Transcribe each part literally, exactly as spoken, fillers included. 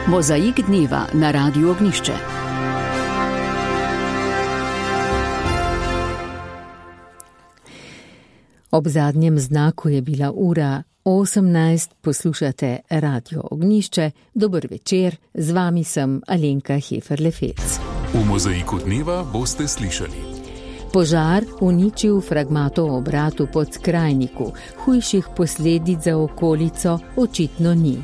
Mozaik dneva na Radiu Ognjišče. Ob zadnjem znaku je bila ura osemnajst, poslušate Radio Ognjišče. Dober večer, z vami sem Alenka Heferle-Fels. V Mozaiku dneva boste slišali: požar uničil fragmatov obratu pod Skrajniku, hujših posledic za okolico očitno ni.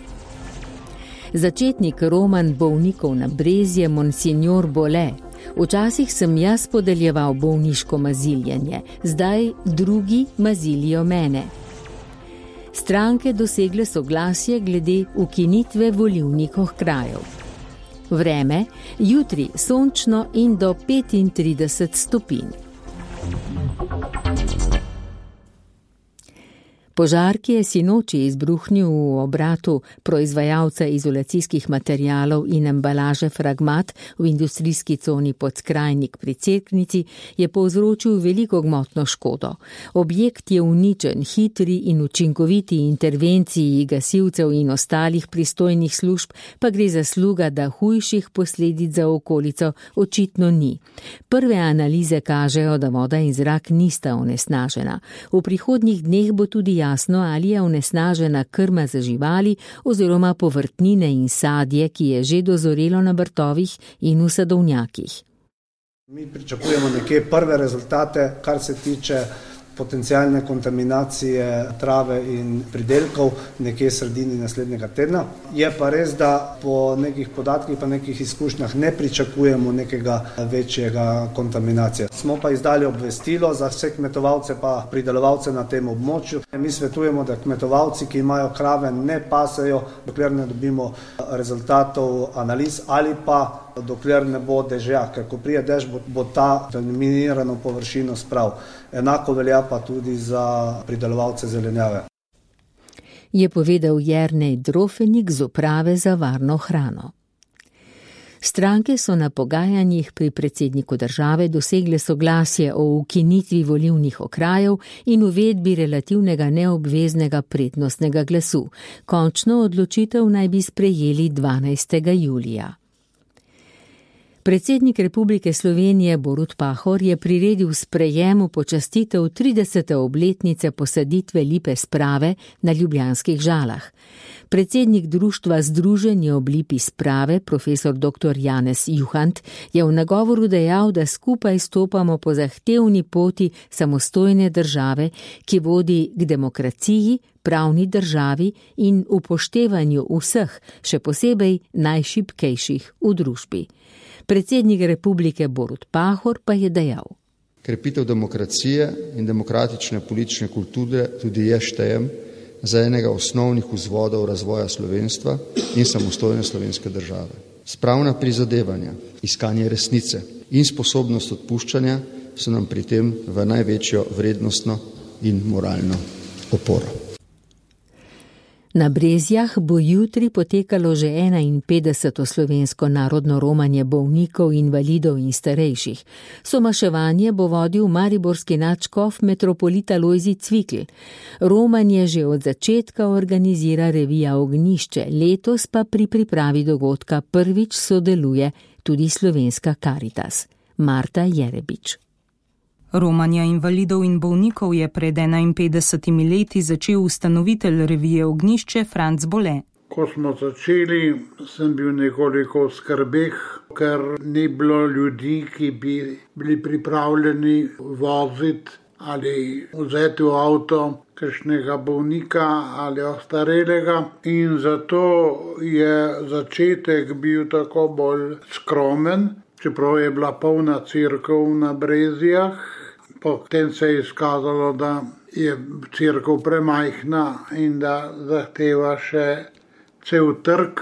Začetnik roman bolnikov na Brezje, Monsignor Bole. Včasih sem jaz podeljeval bolniško maziljenje, zdaj drugi mazilijo mene. Stranke dosegle soglasje glede ukinitve volilnih okrajev. Vreme, jutri sončno in do petintrideset stopinj. Požar, ki je sinoči izbruhnil v obratu proizvajalca izolacijskih materialov in embalaže Fragmat v industrijski coni pod Skrajnik pri Cerknici, je povzročil veliko gmotno škodo. Objekt je uničen, hitri in učinkoviti intervenciji gasilcev in ostalih pristojnih služb pa gre zasluga, da hujših posledic za okolico očitno ni. Prve analize kažejo, da voda in zrak nista onesnažena. V prihodnjih dneh bo tudi jasno, ali je onesnažena krma za živali oziroma povrtnine in sadje, ki je že dozorelo na vrtovih in v sadovnjakih. Mi pričakujemo nekje prve rezultate, kar se tiče potencialne kontaminacije trave in pridelkov nekje sredini naslednjega tedna. Je pa res, da po nekih podatkih pa nekih izkušnjah ne pričakujemo nekega večjega kontaminacije. Smo pa izdali obvestilo za vse kmetovalce pa pridelovalce na tem območju. Mi svetujemo, da kmetovalci, ki imajo krave, ne pasejo, dokler ne dobimo rezultatov analiz ali pa dokler ne bo dežja, ker ko prije dež, bo, bo ta minirano površino sprav. Enako velja pa tudi za pridelovalce zelenjave. Je povedal Jernej Drofenik z uprave za varno hrano. Stranke so na pogajanjih pri predsedniku države dosegle soglasje o ukinitvi volilnih okrajev in uvedbi relativnega neobveznega prednostnega glasu. Končno odločitev naj bi sprejeli dvanajstega julija. Predsednik Republike Slovenije Borut Pahor je priredil sprejem v počastitev tridesete obletnice posaditve lipe sprave na ljubljanskih Žalah. Predsednik društva Združenje ob lipi sprave, profesor doktor Janez Juhant, je v nagovoru dejal, da skupaj stopamo po zahtevni poti samostojne države, ki vodi k demokraciji, pravni državi in upoštevanju vseh, še posebej najšibkejših v družbi. Predsednik republike Borut Pahor pa je dejal: krepitev demokracije in demokratične politične kulture tudi je štejem za enega osnovnih vzvodov razvoja slovenstva in samostojne slovenske države. Spravna prizadevanja, iskanje resnice in sposobnost odpuščanja so nam pri tem v največjo vrednostno in moralno oporo. Na Brezjah bo jutri potekalo že enainpetdeseto slovensko narodno romanje bolnikov, invalidov in starejših. Somaševanje bo vodil mariborski nadškof metropolita Lojzi Cvikl. Romanje že od začetka organizira revija Ognjišče, letos pa pri pripravi dogodka prvič sodeluje tudi slovenska Karitas. Marta Jerebič. Romanja invalidov in bolnikov je pred enainpetdesetimi leti začel ustanovitelj revije Ognjišče Franc Bole. Ko smo začeli, sem bil nekoliko v skrbeh, ker ni bilo ljudi, ki bi bili pripravljeni voziti ali vzeti v avto kakšnega bolnika ali ostarelega, in zato je začetek bil tako bolj skromen, čeprav je bila polna cerkev na Brezjah. Potem se je izkazalo, da je cerkev premajhna in da zahteva še cel trg.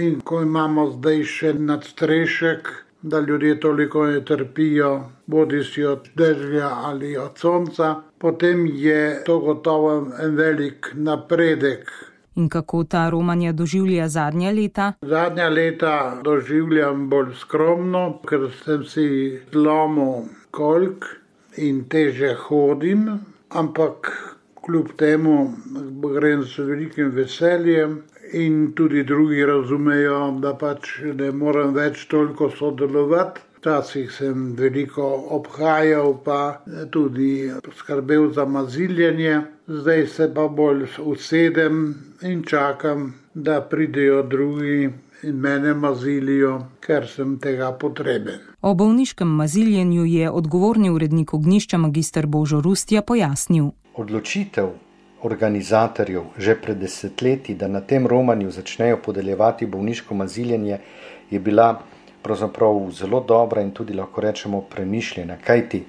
In ko imamo zdaj še nadstrešek, da ljudje toliko ne trpijo, bodisi od dežja ali od sonca, potem je to gotovo en velik napredek. In kako ta romanja doživlja zadnja leta? Zadnja leta doživljam bolj skromno, ker sem si zlomil kolk in teže hodim, ampak kljub temu grem s velikim veseljem in tudi drugi razumejo, da pač ne morem več toliko sodelovati. Včasih sem veliko obhajal, pa tudi skrbel za maziljenje. Zdaj se pa bolj usedem in čakam, da pridejo drugi in mene mazilijo, ker sem tega potreben. O bolniškem maziljenju je odgovorni urednik Ognjišča magister Božo Rustja pojasnil. Odločitev organizatorjev že pred desetletji, da na tem romanju začnejo podeljevati bolniško maziljenje, je bila pravzaprav zelo dobra in tudi lahko rečemo premišljena, kajti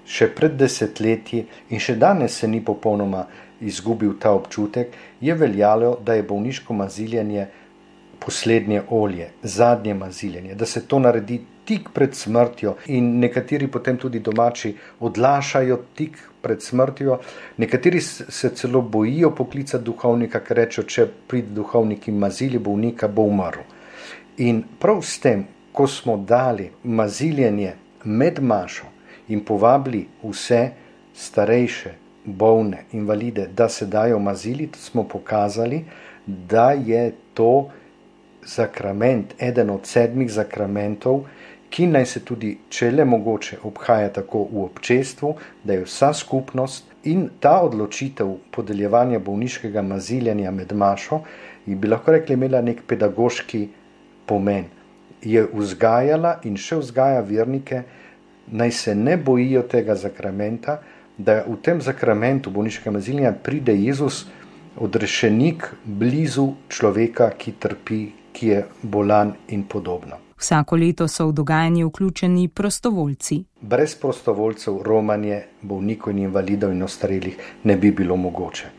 še pred desetletji in še danes se ni popolnoma izgubil ta občutek, je veljalo, da je bolniško maziljenje poslednje olje, zadnje maziljenje, da se to naredi tik pred smrtjo in nekateri potem tudi domači odlašajo tik pred smrtjo, nekateri se celo bojijo poklicati duhovnika, ker rečejo, če pride duhovnik in mazili bolnika, bo umrl. In prav s tem, ko smo dali maziljenje med mašo in povabili vse starejše, bolne, invalide, da se dajo maziliti, smo pokazali, da je to zakrament, eden od sedmih zakramentov, ki naj se tudi, če le mogoče, obhaja tako v občestvu, da je vsa skupnost in ta odločitev podeljevanja bolniškega maziljenja med mašo, bi lahko rekli, imela nek pedagoški pomen. Je vzgajala in še vzgaja vernike, naj se ne bojijo tega zakramenta, da v tem zakramentu bolniškega maziljenja pride Jezus, odrešenik, blizu človeka, ki trpi, ki je bolan in podobno. Vsako leto so v dogajanje vključeni prostovoljci. Brez prostovoljcev romanje bolnikov in invalidov in ostarelih ne bi bilo mogoče.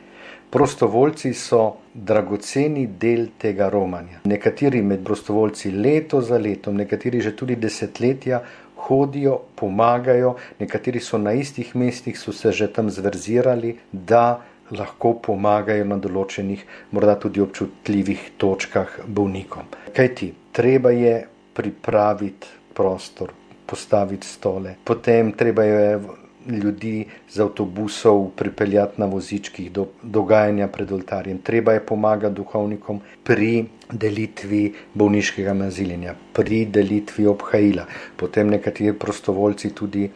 Prostovoljci so dragoceni del tega romanja. Nekateri med prostovoljci leto za letom, nekateri že tudi desetletja hodijo, pomagajo, nekateri so na istih mestih, so se že tam zverzirali, da lahko pomagajo na določenih, morda tudi občutljivih točkah bolnikom. Kajti, treba je pripraviti prostor, postaviti stole, potem treba je ljudi z avtobusov pripeljati na vozičkih do dogajanja pred oltarjem, treba je pomagati duhovnikom pri delitvi bolniškega maziljenja, pri delitvi obhajila, potem nekateri prostovoljci tudi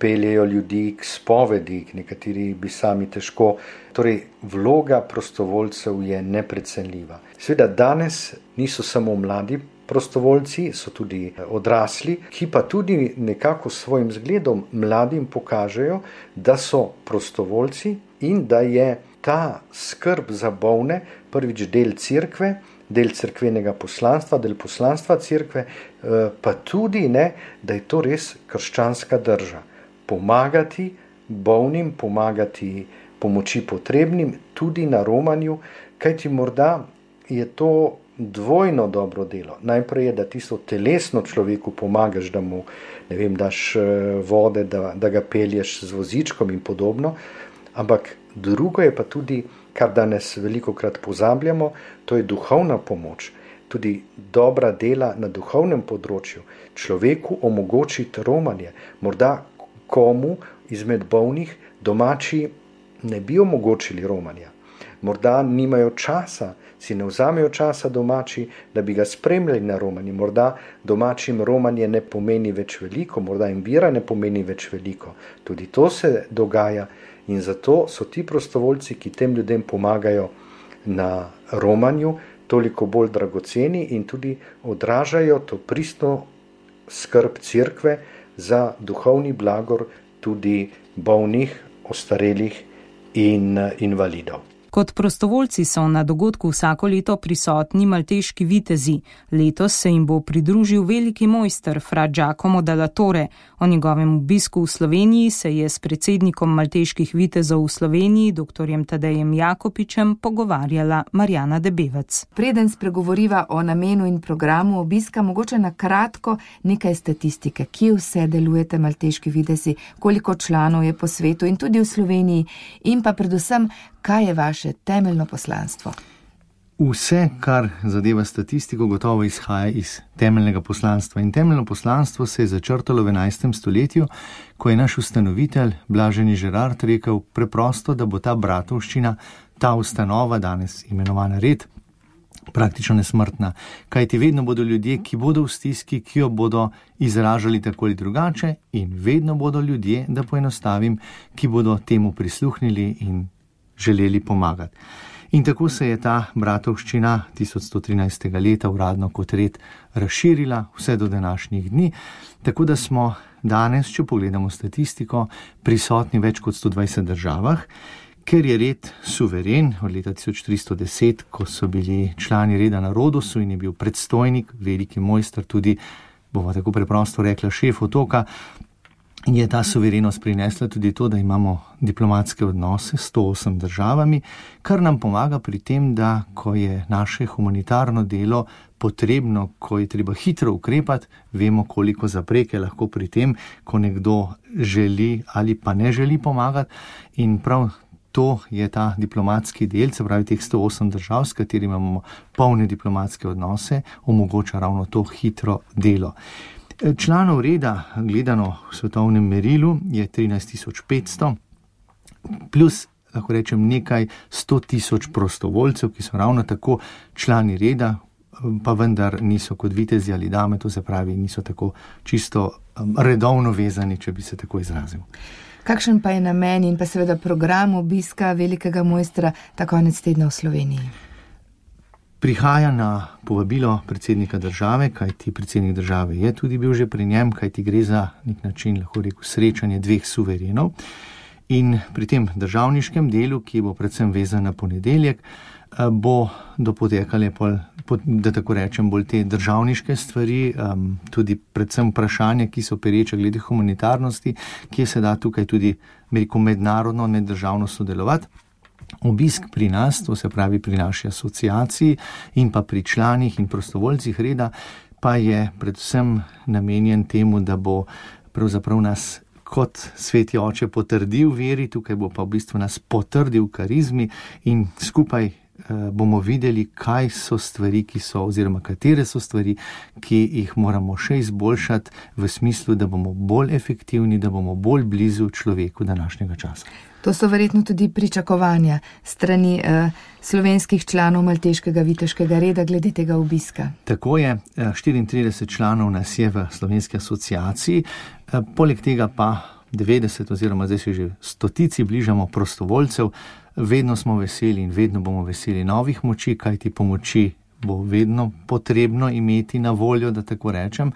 peljejo ljudi k spovedi, nekateri bi sami težko. Torej, vloga prostovoljcev je neprecenljiva. Seveda danes niso samo mladi prostovoljci, so tudi odrasli, ki pa tudi nekako s svojim zgledom mladim pokažejo, da so prostovoljci in da je ta skrb za bolne prvič del cerkve, del cerkvenega poslanstva, del poslanstva cerkve, pa tudi ne, da je to res krščanska drža. Pomagati bolnim, pomagati pomoči potrebnim, tudi na romanju, kajti morda je to dvojno dobro delo. Najprej je, da tisto telesno človeku pomagaš, da mu, ne vem, daš vode, da, da ga pelješ z vozičkom in podobno, ampak drugo je pa tudi, kar danes velikokrat pozabljamo, to je duhovna pomoč. Tudi dobra dela na duhovnem področju človeku omogočiti romanje. Morda komu izmed bolnih domači ne bi omogočili romanja. Morda nimajo časa, si ne vzamejo časa domači, da bi ga spremljali na romanje. Morda domačim romanje ne pomeni več veliko, morda jim vera ne pomeni več veliko. Tudi to se dogaja in zato so ti prostovoljci, ki tem ljudem pomagajo na romanju, toliko bolj dragoceni in tudi odražajo to pristno skrb cerkve za duhovni blagor tudi bolnih, ostarelih in invalidov. Kot prostovoljci so na dogodku vsako leto prisotni malteški vitezi. Letos se jim bo pridružil veliki mojster fra Giacomo della Torre. O njegovem obisku v Sloveniji se je s predsednikom malteških vitezov v Sloveniji, doktorjem Tadejem Jakopičem, pogovarjala Marjana Debevec. Preden spregovoriva o namenu in programu obiska, mogoče na kratko nekaj statistike. Kje vse delujete malteški vitezi, koliko članov je po svetu in tudi v Sloveniji in pa predvsem, kaj je vaše temeljno poslanstvo? Vse, kar zadeva statistiko, gotovo izhaja iz temeljnega poslanstva. In temeljno poslanstvo se je začrtalo v enajstem stoletju, ko je naš ustanovitelj, blaženi Žerard, rekel preprosto, da bo ta bratovščina, ta ustanova, danes imenovana Red, praktično nesmrtna. Kajti vedno bodo ljudje, ki bodo v stiski, ki jo bodo izražali tako ali drugače, in vedno bodo ljudje, da poenostavim, ki bodo temu prisluhnili in želeli pomagati. In tako se je ta bratovščina tisoč sto trinajstega leta uradno kot red razširila vse do današnjih dni, tako da smo danes, če pogledamo statistiko, prisotni v več kot sto dvajset državah, ker je red suveren od leta tisoč tristo deset, ko so bili člani reda na Rodosu in je bil predstojnik, veliki mojster, tudi, bomo tako preprosto rekla, šef otoka, je ta suverenost prinesla tudi to, da imamo diplomatske odnose s sto osem državami, kar nam pomaga pri tem, da ko je naše humanitarno delo potrebno, ko je treba hitro ukrepati, vemo, koliko zapreke lahko pri tem, ko nekdo želi ali pa ne želi pomagati, in prav to je ta diplomatski del, se pravi teh sto osem držav, s katerimi imamo polne diplomatske odnose, omogoča ravno to hitro delo. Članov reda, gledano v svetovnem merilu, je trinajst tisoč petsto, plus, lahko rečem, nekaj sto tisoč prostovoljcev, ki so ravno tako člani reda, pa vendar niso kot vitezi ali dame, to se pravi, niso tako čisto redovno vezani, če bi se tako izrazil. Kakšen pa je namen in pa seveda program obiska velikega mojstra ta konec tedna v Sloveniji? Prihaja na povabilo predsednika države, kajti predsednik države je tudi bil že pri njem, kajti gre za nek način, lahko rekel, srečanje dveh suverenov. In pri tem državniškem delu, ki bo predvsem vezan na ponedeljek, bo dopotekale, da tako rečem, bolj te državniške stvari, tudi predvsem vprašanja, ki so pereče glede humanitarnosti, kje se da tukaj tudi mednarodno, neddržavno sodelovati. Obisk pri nas, to se pravi pri naši asociaciji in pa pri članih in prostovoljcih reda, pa je predvsem namenjen temu, da bo pravzaprav nas kot sveti oče potrdil veri, tukaj bo pa v bistvu nas potrdil karizmi in skupaj eh, bomo videli, kaj so stvari, ki so, oziroma katere so stvari, ki jih moramo še izboljšati v smislu, da bomo bolj efektivni, da bomo bolj blizu človeku današnjega časa. To so verjetno tudi pričakovanja strani eh, slovenskih članov malteškega viteškega reda glede tega obiska. Tako je, štiriintrideset članov nas je v slovenski asociaciji, eh, poleg tega pa devetdeset oziroma zdaj se že stotici bližamo prostovoljcev, vedno smo veseli in vedno bomo veseli novih moči, kajti pomoči bo vedno potrebno imeti na voljo, da tako rečem.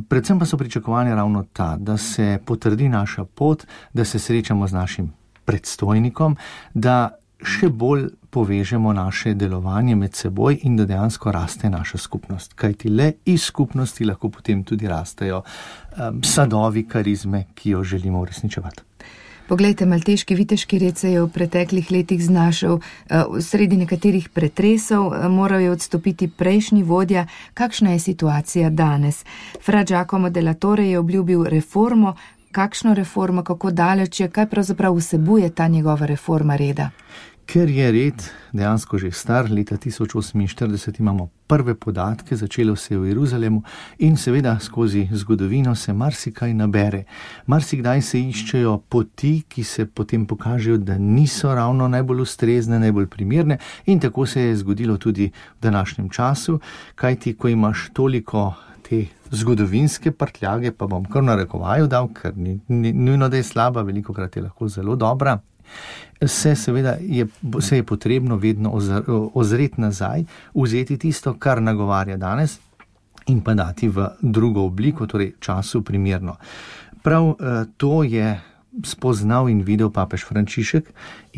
Predvsem pa so pričakovanja ravno ta, da se potrdi naša pot, da se srečamo z našim predstojnikom, da še bolj povežemo naše delovanje med seboj in da dejansko raste naša skupnost. Kajti le iz skupnosti lahko potem tudi rastejo um, sadovi karizme, ki jo želimo uresničevati. Poglejte, malteški viteški red se je v preteklih letih znašel uh, sredi nekaterih pretresov, uh, moral je odstopiti prejšnji vodja. Kakšna je situacija danes? Fra Giacomo della Torre je obljubil reformo. Kakšno reformo, kako daleč je, kaj pravzaprav vsebuje ta njegova reforma reda? Ker je red dejansko že star, leta tisoč oseminštirideset imamo prve podatke, začelo se je v Jeruzalemu in seveda skozi zgodovino se marsikaj nabere. Marsikdaj se iščejo poti, ki se potem pokažejo, da niso ravno najbolj ustrezne, najbolj primerne, in tako se je zgodilo tudi v današnjem času, kajti ko imaš toliko te zgodovinske prtljage, pa bom kar narekovaju dal, ker ni, ni nujno, da je slaba, velikokrat je lahko zelo dobra, se seveda je, se je potrebno vedno ozreti nazaj, vzeti tisto, kar nagovarja danes in pa dati v drugo obliko, torej času primerno. Prav to je spoznal in videl papež Frančišek,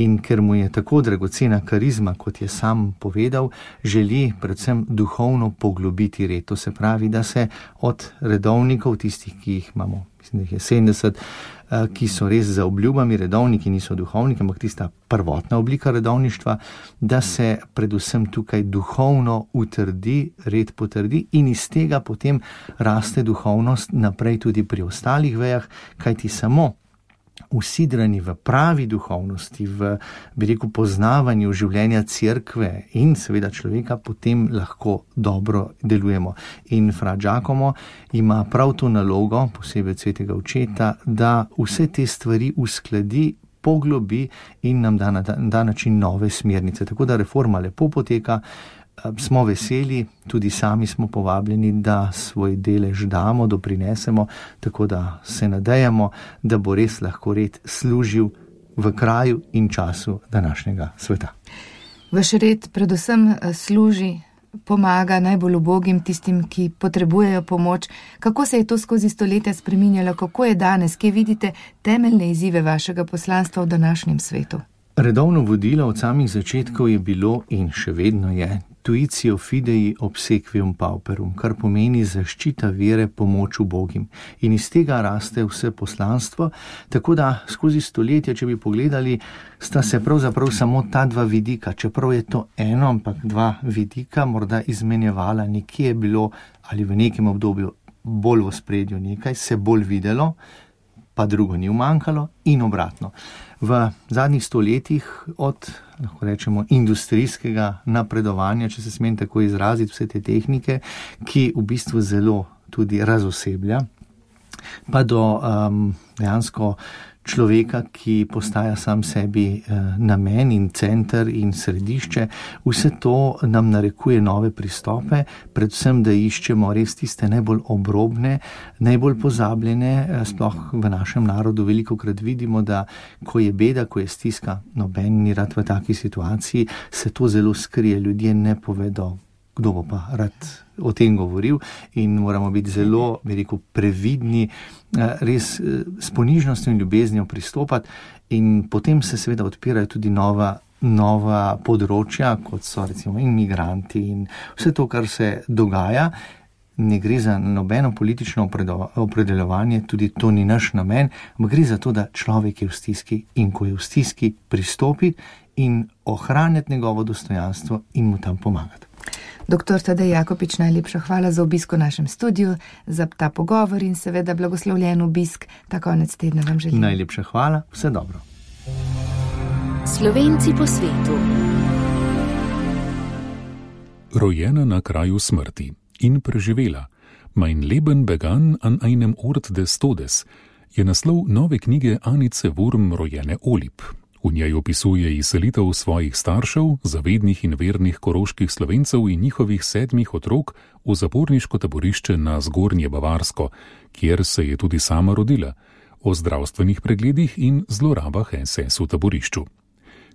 in ker mu je tako dragocena karizma, kot je sam povedal, želi predvsem duhovno poglobiti red. To se pravi, da se od redovnikov, tistih, ki jih imamo, mislim, da jih je sedemdeset, ki so res za obljubami redovniki, niso duhovniki, ampak tista prvotna oblika redovništva, da se predvsem tukaj duhovno utrdi, red potrdi in iz tega potem raste duhovnost naprej tudi pri ostalih vejah, kajti samo usidrani v pravi duhovnosti, v, bi rekel, poznavanju življenja cerkve in seveda človeka, potem lahko dobro delujemo. In fra Giacomo ima prav to nalogo, posebej svetega očeta, da vse te stvari uskladi, poglobi in nam da na ta način nove smernice. Tako da reforma lepo poteka, smo veseli, tudi sami smo povabljeni, da svoj delež damo, doprinesemo, tako da se nadejamo, da bo res lahko red služil v kraju in času današnjega sveta. Vaš red predvsem služi, pomaga najbolj ubogim, tistim, ki potrebujejo pomoč. Kako se je to skozi stoletja spreminjalo, kako je danes, kje vidite temeljne izzive vašega poslanstva v današnjem svetu? Redovno vodilo od samih začetkov je bilo in še vedno je tuitio fidei obsequium pauperum, kar pomeni zaščita vere, pomoč ubogim. In iz tega raste vse poslanstvo, tako da skozi stoletja, če bi pogledali, sta se pravzaprav samo ta dva vidika, čeprav je to eno, ampak dva vidika morda izmenjevala, nekje je bilo ali v nekem obdobju bolj v ospredju nekaj, se bolj videlo, pa drugo ni umanjkalo in obratno. V zadnjih stoletjih od, lahko rečemo, industrijskega napredovanja, če se smem tako izraziti, vse te tehnike, ki v bistvu zelo tudi razoseblja, pa do um, dejansko človeka, ki postaja sam sebi namen in center in središče, vse to nam narekuje nove pristope, predvsem, da iščemo res tiste najbolj obrobne, najbolj pozabljene, sploh v našem narodu velikokrat vidimo, da ko je beda, ko je stiska, noben ni rad v taki situaciji, se to zelo skrije, ljudje ne povedo, kdo bo pa rad o tem govoril in moramo biti zelo, bi rekel, previdni, res s ponižnostjo in ljubeznijo pristopati in potem se seveda odpirajo tudi nova, nova področja, kot so recimo imigranti in vse to, kar se dogaja. Ne gre za nobeno politično opredeljevanje, tudi to ni naš namen, ampak gre za to, da človek je v stiski in ko je v stiski, pristopi in ohranjati njegovo dostojanstvo in mu tam pomagati. Doktor Tadej Jakopič, najlepša hvala za obisk v našem studiu, za ta pogovor in seveda blagoslovljen obisk ta konec tedna vam želim. Najlepša hvala, vse dobro. Slovenci po svetu. Rojena na kraju smrti in preživela. Mein Leben begann an einem Ort des Todes je naslov nove knjige Anice Wurm, rojene Olip. V njej opisuje izselitev svojih staršev, zavednih in vernih koroških Slovencev in njihovih sedmih otrok v zaporniško taborišče na Zgornje Bavarsko, kjer se je tudi sama rodila, o zdravstvenih pregledih in zlorabah es es v taborišču.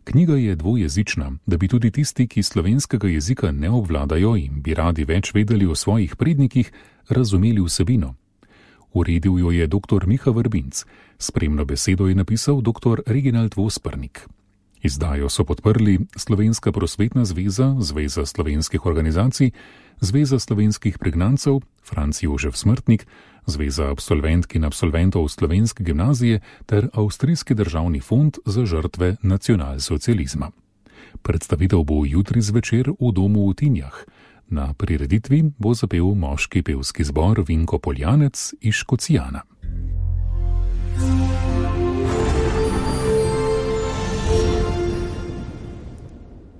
Knjiga je dvojezična, da bi tudi tisti, ki slovenskega jezika ne obvladajo in bi radi več vedeli o svojih prednikih, razumeli vsebino. Uredil jo je doktor Miha Vrbinc, spremno besedo je napisal doktor Reginald Vospernik. Izdajo so podprli Slovenska prosvetna zveza, Zveza slovenskih organizacij, Zveza slovenskih pregnancev, Franc Jožef Smrtnik, Zveza absolventk in absolventov Slovenske gimnazije ter Avstrijski državni fond za žrtve nacionalsocializma. Predstavitev bo jutri zvečer v domu v Tinjah. Na prireditvi bo zapel moški pevski zbor Vinko Poljanec iz Škocijana.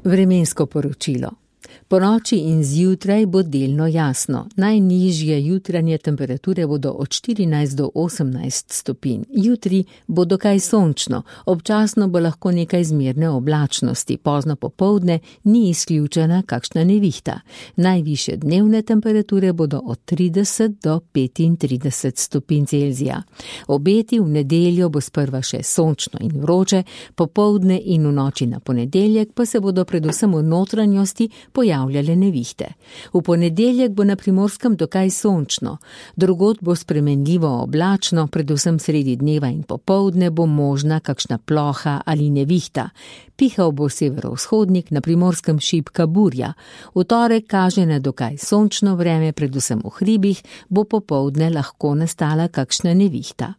Vremensko poročilo. Po noči in zjutraj bo delno jasno. Najnižje jutranje temperature bodo od štirinajst do osemnajst stopinj. Jutri bo dokaj sončno, občasno bo lahko nekaj zmerne oblačnosti, pozno popoldne ni izključena kakšna nevihta. Najvišje dnevne temperature bodo od trideset do petintrideset stopinj Celzija. Obeti v nedeljo bo sprva še sončno in vroče, popoldne in v noči na ponedeljek pa se bodo predvsem v notranjosti pojavljale nevihte. V ponedeljek bo na Primorskem dokaj sončno, drugod bo spremenljivo oblačno, predvsem sredi dneva in popoldne bo možna kakšna ploha ali nevihta. Pihal bo severovzhodnik, na Primorskem šibka burja. V torek kaže na dokaj sončno vreme, predvsem v hribih bo popoldne lahko nastala kakšna nevihta.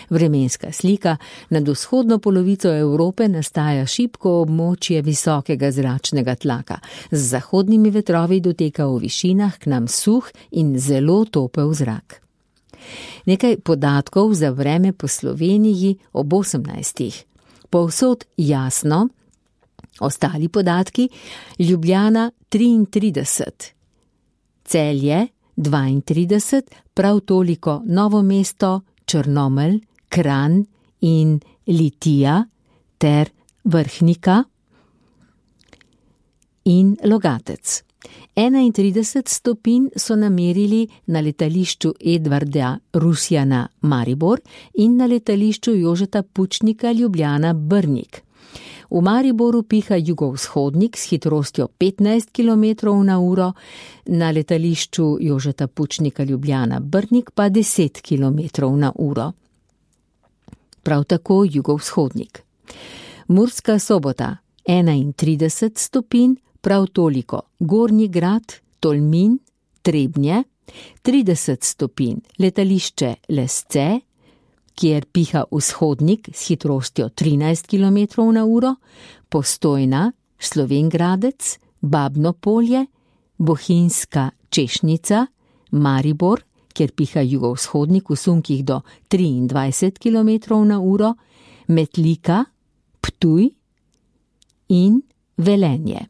Vremenska slika. Nad vzhodno polovico Evrope nastaja šibko območje visokega zračnega tlaka. Z zahodnimi vetrovi doteka v višinah k nam suh in zelo topel zrak. Nekaj podatkov za vreme po Sloveniji ob osemnajstih. Povsod jasno, ostali podatki: Ljubljana triintrideset, Celje dvaintrideset, prav toliko Novo mesto, Črnomelj, Kranj in Litija ter Vrhnika in Logatec. enaintrideset stopinj so namerili na letališču Edvarda Rusjana Maribor in na letališču Jožeta Pučnika Ljubljana Brnik. V Mariboru piha jugovzhodnik s hitrostjo petnajst kilometrov na uro, na letališču Jožeta Pučnika Ljubljana Brnik pa deset kilometrov na uro. Prav tako jugovzhodnik. Murska Sobota enaintrideset stopinj, prav toliko Gornji Grad, Tolmin, Trebnje, trideset stopinj letališče Lesce, kjer piha vzhodnik s hitrostjo trinajst kilometrov na uro, Postojna, Slovenj Gradec, Babno Polje, Bohinjska Češnica, Maribor, kjer piha jugovzhodnik v sunkih do triindvajset kilometrov na uro, Metlika, Ptuj in Velenje.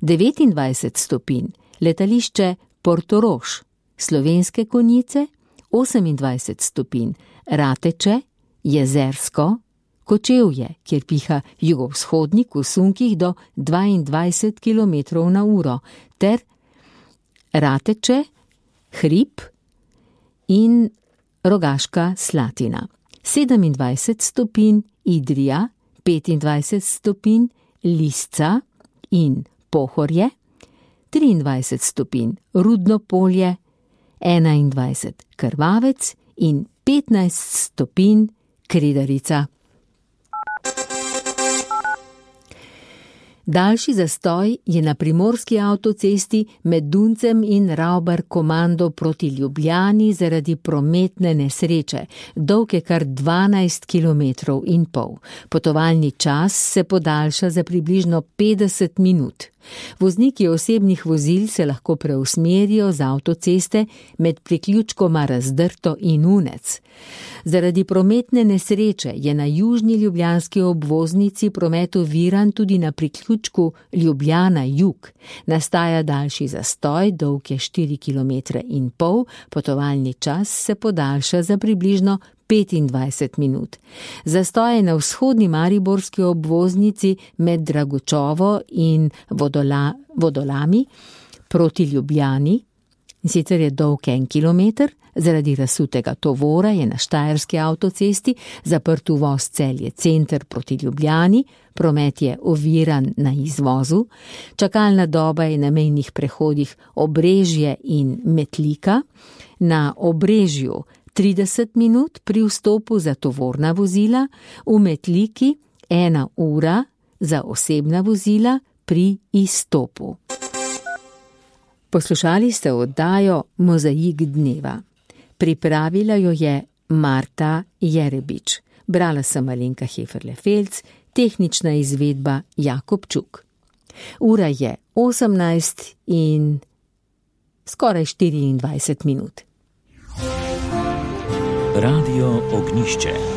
devetindvajset stopinj letališče Portorož, Slovenske Konjice, osemindvajset stopinj Rateče, Jezersko, Kočevje, kjer piha jugovzhodnik v sunkih do dvaindvajset kilometrov na uro, ter Rateče, Hrib in Rogaška Slatina. sedemindvajset stopinj Idrija, petindvajset stopinj Lisca in Pohorje, triindvajset stopinj Rudno Polje, enaindvajset Krvavec in petnajst stopinj Kredarica. Daljši zastoj je na primorski avtocesti med Duncem in Ravbar komando proti Ljubljani zaradi prometne nesreče, dolge kar dvanajst kilometrov in pol. Potovalni čas se podaljša za približno petdeset minut. Vozniki osebnih vozil se lahko preusmerijo z avtoceste med priključkoma Razdrto in Unec. Zaradi prometne nesreče je na južni ljubljanski obvoznici promet oviran tudi na priključku Ljubljana Jug. Nastaja daljši zastoj, dolg je štiri kilometre in pol, potovalni čas se podaljša za približno petindvajset minut. Zastoj je na vzhodni mariborski obvoznici med Dragočovo in Vodola, Vodolami proti Ljubljani, in sicer je dolg en kilometer. Zaradi razsutega tovora je na štajerski avtocesti zaprt uvoz Celje center proti Ljubljani, promet je oviran na izvozu, čakalna doba je na mejnih prehodih Obrežje in Metlika, na Obrežju trideset minut pri vstopu za tovorna vozila, v Metliki ena ura za osebna vozila pri izstopu. Poslušali ste oddajo Mozaik dneva. Pripravila jo je Marta Jerebič. Brala sem Alenka Heferle-Felc, tehnična izvedba Jakob Čuk. Ura je osemnajst in skoraj štiriindvajset minut. Radio Ognjišče.